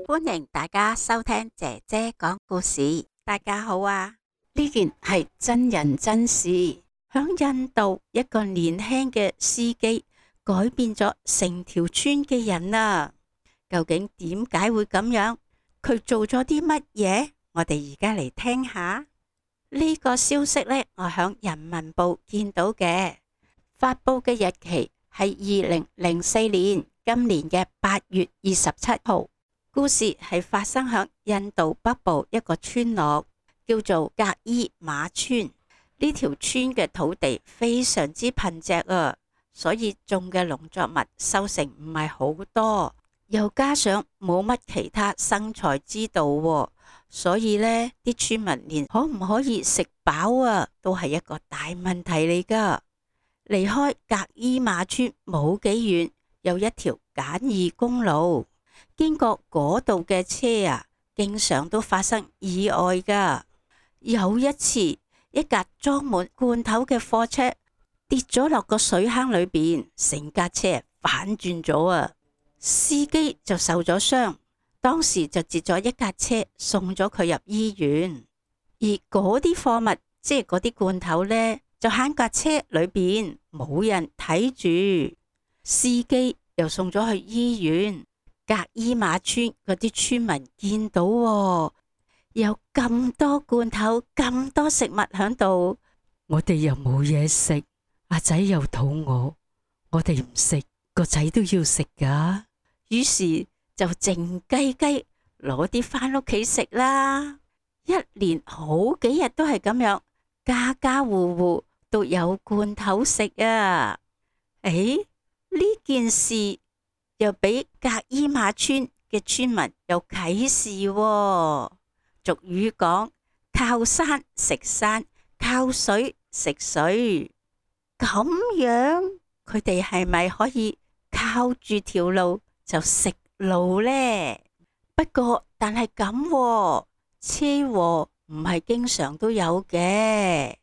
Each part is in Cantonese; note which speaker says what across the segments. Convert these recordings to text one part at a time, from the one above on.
Speaker 1: 歡迎大家收聽姐姐講故事。大家好啊！呢件係真人真事，響印度一個年輕嘅司機改變咗成條村嘅人啊！究竟點解會咁樣？佢做咗啲乜嘢？我哋而家嚟聽下呢個消息呢，我響人民報見到嘅，發佈嘅日期係2004年今年嘅8月27號。故事係發生響印度北部一個村落，叫做格伊馬村。呢條村嘅土地非常之貧瘠啊，所以種嘅農作物收成唔係好多，又加上冇乜其他生財之道啊，所以呢啲村民連可唔可以食飽啊，都係一個大問題嚟噶。離開格伊馬村冇幾遠，有一條簡易公路。經過嗰度嘅車啊，經常都發生意外噶。有一次，一架裝滿罐頭嘅貨車跌咗落個水坑裏邊，成架車反轉咗啊！司機就受咗傷，當時就截咗一架車送咗佢入醫院。而嗰啲貨物，即係嗰啲罐頭呢，就喺架車裏邊，冇人睇住，司機又送咗去醫院。格伊馬村嗰啲村民見到有咁多罐頭，咁多食物喺度，我哋又冇嘢食，阿仔又肚餓，我哋唔食，個仔都要食噶。於是就靜雞雞攞啲返屋企食啦。一連好幾日都係咁樣，家家戶戶都有罐頭食啊！誒，呢件事又俾格伊馬村嘅村民有啟示喎。俗語講，靠山食山，靠水食水。咁樣佢哋係咪可以靠住條路就食路呢？不過但係咁喎，車禍唔係經常都有嘅。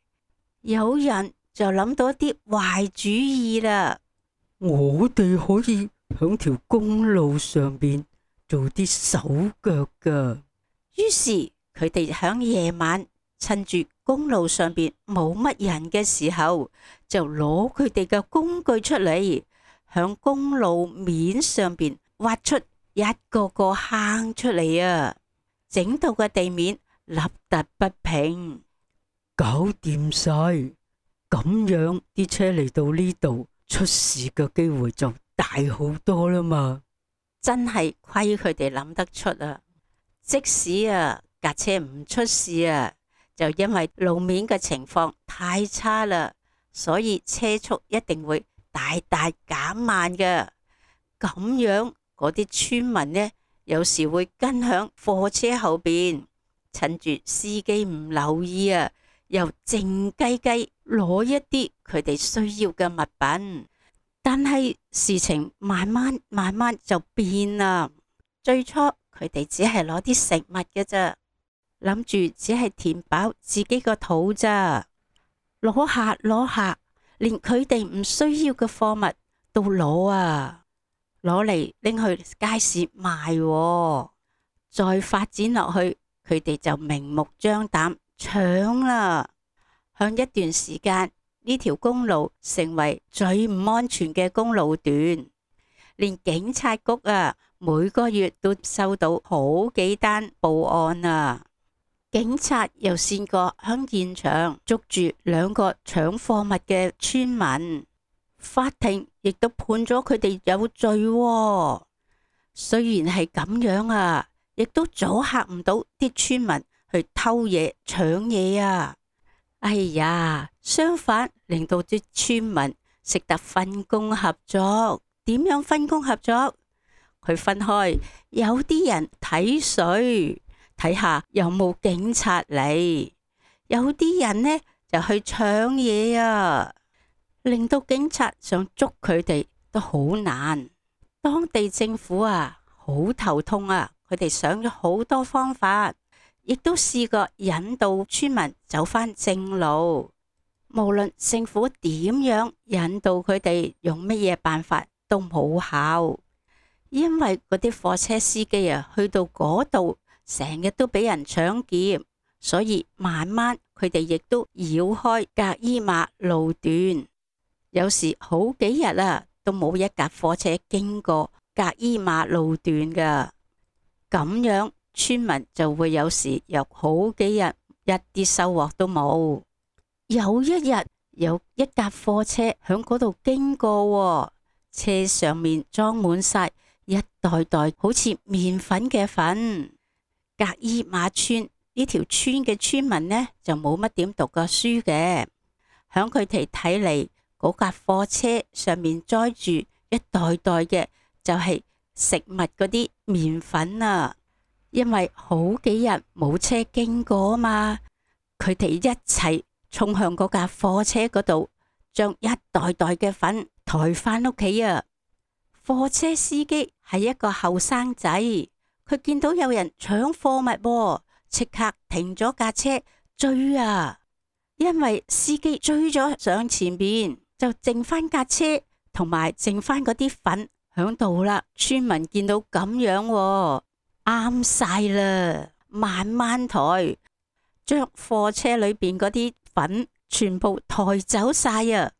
Speaker 1: 有人就諗到啲壞主意啦。我哋可以響條公路上邊做啲手腳噶。於是佢哋響夜晚趁住公路上邊冇乜人嘅時候，就攞佢哋嘅工具出嚟，響公路面上邊挖出一個個坑出嚟啊！整到個地面凹凸不平，搞掂晒，咁樣啲車嚟到呢度出事嘅機會就大好多啦嘛。真係虧佢哋諗得出啊！即使架車唔出事啊，就因為路面嘅情況太差啦，所以車速一定會大大減慢嘅。咁樣嗰啲村民呢，有時會跟響貨車後邊，趁住司機唔留意啊，又靜雞雞攞一啲佢哋需要嘅物品。但係事情慢慢就變啦。最初佢哋只係攞啲食物嘅咋，諗住只係填飽自己個肚咋。攞下，連佢哋唔需要嘅貨物都攞啊，攞嚟拎去街市賣喎。再發展落去，佢哋就明目張膽搶啦。向一段時間，呢條公路成為最唔安全嘅公路段，連警察局每個月都收到好幾單報案啊！警察又試過響現場捉住2個搶貨物嘅村民，法庭亦都判咗佢哋有罪喎。雖然係咁樣亦都阻嚇唔到啲村民去偷嘢搶嘢啊！哎呀，相反令到啲村民識得分工合作。點樣分工合作？佢分開，有啲人睇水，睇下有冇警察嚟；有啲人呢就去搶嘢啊，令到警察想捉佢哋都好難。當地政府好頭痛佢哋想咗好多方法，亦都試過引導村民走返正路。無論政府點樣引導佢哋用乜嘢辦法都冇效，因為嗰啲貨車司機啊，去到嗰度成日都俾人搶劫，所以慢慢佢哋亦都繞開格伊馬路段，有時好幾日啊都冇一架貨車經過格伊馬路段噶，咁樣村民就會有時有好幾日一啲收穫都冇。有一日，有一架貨車響嗰度經過，車上面裝滿晒一袋袋好似麵粉嘅粉。格伊馬村呢條村嘅村民呢，就冇乜點讀過書嘅，響佢哋睇嚟，嗰架貨車上面載住一袋袋嘅就係食物嗰啲麵粉啊，因為好幾日冇車經過啊嘛，佢哋一齊衝向嗰架貨車嗰度，將一袋袋嘅粉抬返屋企啊！貨車司機係一個後生仔，佢見到有人搶貨物，即刻停咗架車追啊！因為司機追咗上前邊，就剩翻架車同埋剩翻嗰啲粉響度啦。村民見到咁樣，啱晒啦，慢慢抬，將貨車裏邊嗰啲粉全部抬走晒啊！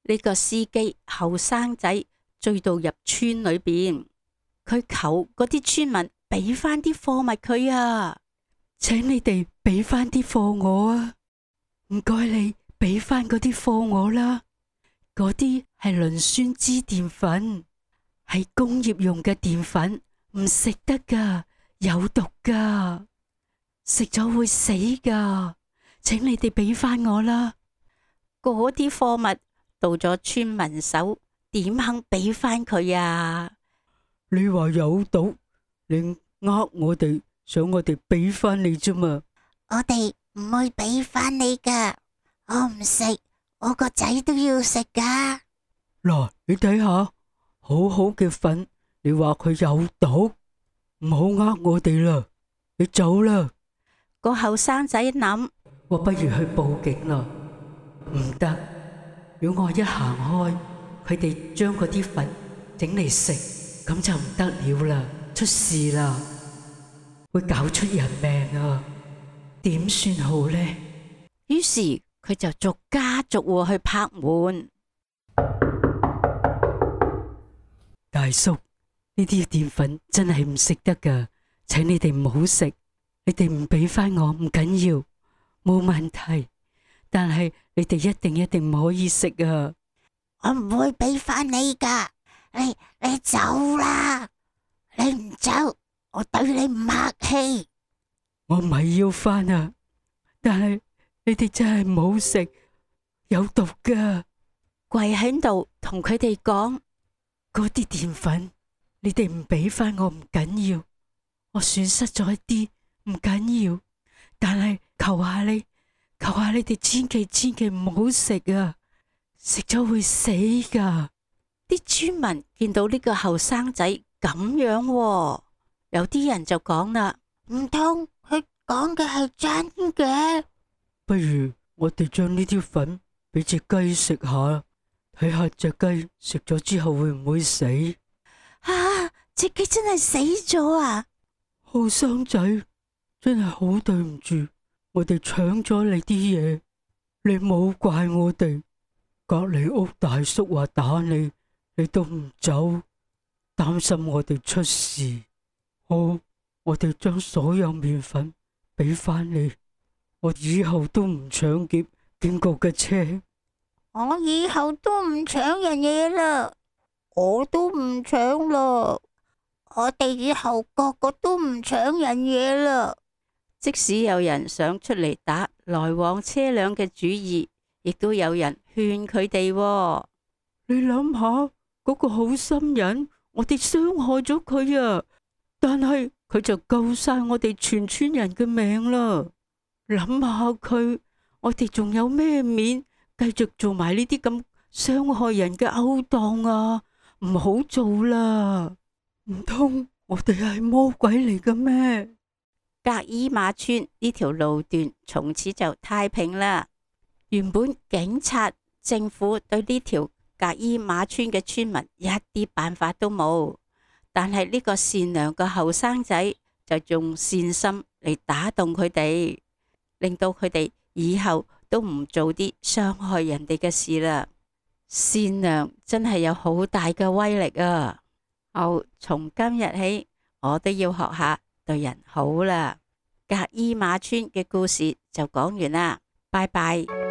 Speaker 1: 呢個司機後生仔追到入村裏邊，佢求嗰啲村民俾翻啲貨物佢啊，請你哋俾翻啲貨我啊，唔該你俾翻嗰啲貨我啦，嗰啲係磷酸脂澱粉，係工業用嘅澱粉，唔食得噶，有毒噶，食咗會死噶，請你哋俾翻我啦。嗰啲貨物到咗村民手，點肯俾翻佢啊？你話有毒，你呃我哋，想我哋俾翻你啫嘛？
Speaker 2: 我哋唔會俾翻你噶，我唔食，我個仔都要食噶。
Speaker 3: 嗱，你睇下，好好嘅粉，你話佢有毒，唔好呃我哋啦，你走啦。
Speaker 1: 個後生仔諗，
Speaker 3: 我不如去報警啦。唔得，如果我一行開，佢哋將嗰啲粉整嚟食，咁就唔得了啦，出事啦，會搞出人命啊！點算好呢？
Speaker 1: 於是佢就逐家逐戶去拍門。
Speaker 3: 大叔，呢啲澱粉真係唔食得噶，請你哋唔好食，你哋唔俾翻我唔緊要，冇問題。但係你哋一定唔可以食啊！
Speaker 2: 我唔會俾翻你噶，你走啦！你唔走，我對你唔客氣。
Speaker 3: 我唔係要翻啊，但係你哋真係唔好食，有毒噶。
Speaker 1: 跪喺度同佢哋講，
Speaker 3: 嗰啲澱粉，你哋唔俾翻我唔緊要，我損失咗一啲唔緊要，但係求下你哋千祈唔好食啊！食咗會死噶。
Speaker 1: 啲村民見到呢個後生仔咁樣，有啲人就講啦，
Speaker 2: 唔通佢講嘅係真嘅？
Speaker 3: 不如我哋將呢啲粉俾隻雞食下，睇下隻雞食咗之後會唔會死？
Speaker 2: 啊！隻雞真係死咗啊！
Speaker 3: 後生仔，真係好對唔住，我哋搶咗你啲嘢，你冇怪我哋。隔籬屋大叔話打你，你都唔走，擔心我哋出事。好，我哋將所有麵粉俾翻你，我以後都唔搶劫經過嘅車。
Speaker 2: 我以後都唔搶人嘢啦，我都唔搶啦，我哋以後個個都唔搶人嘢啦。
Speaker 1: 即使有人想出嚟打來往車輛嘅主意，亦都有人勸佢哋。
Speaker 3: 你諗下嗰個好心人，我哋傷害咗佢啊，但係佢就救晒我哋全村人嘅命啦。諗下佢，我哋仲有咩面繼續做埋呢啲咁傷害人嘅勾當啊？唔好做啦！唔通我哋係魔鬼嚟嘅咩？
Speaker 1: 格伊馬村呢條路段從此就太平啦。原本警察、政府對呢條格伊馬村嘅村民一啲辦法都冇，但係呢個善良嘅後生仔就用善心嚟打動佢哋，令到佢哋以後都唔做啲傷害人哋嘅事啦。善良真係有好大嘅威力啊！好，從今日起，我都要學下對人好啦。格伊馬村嘅故事就講完啦，拜拜。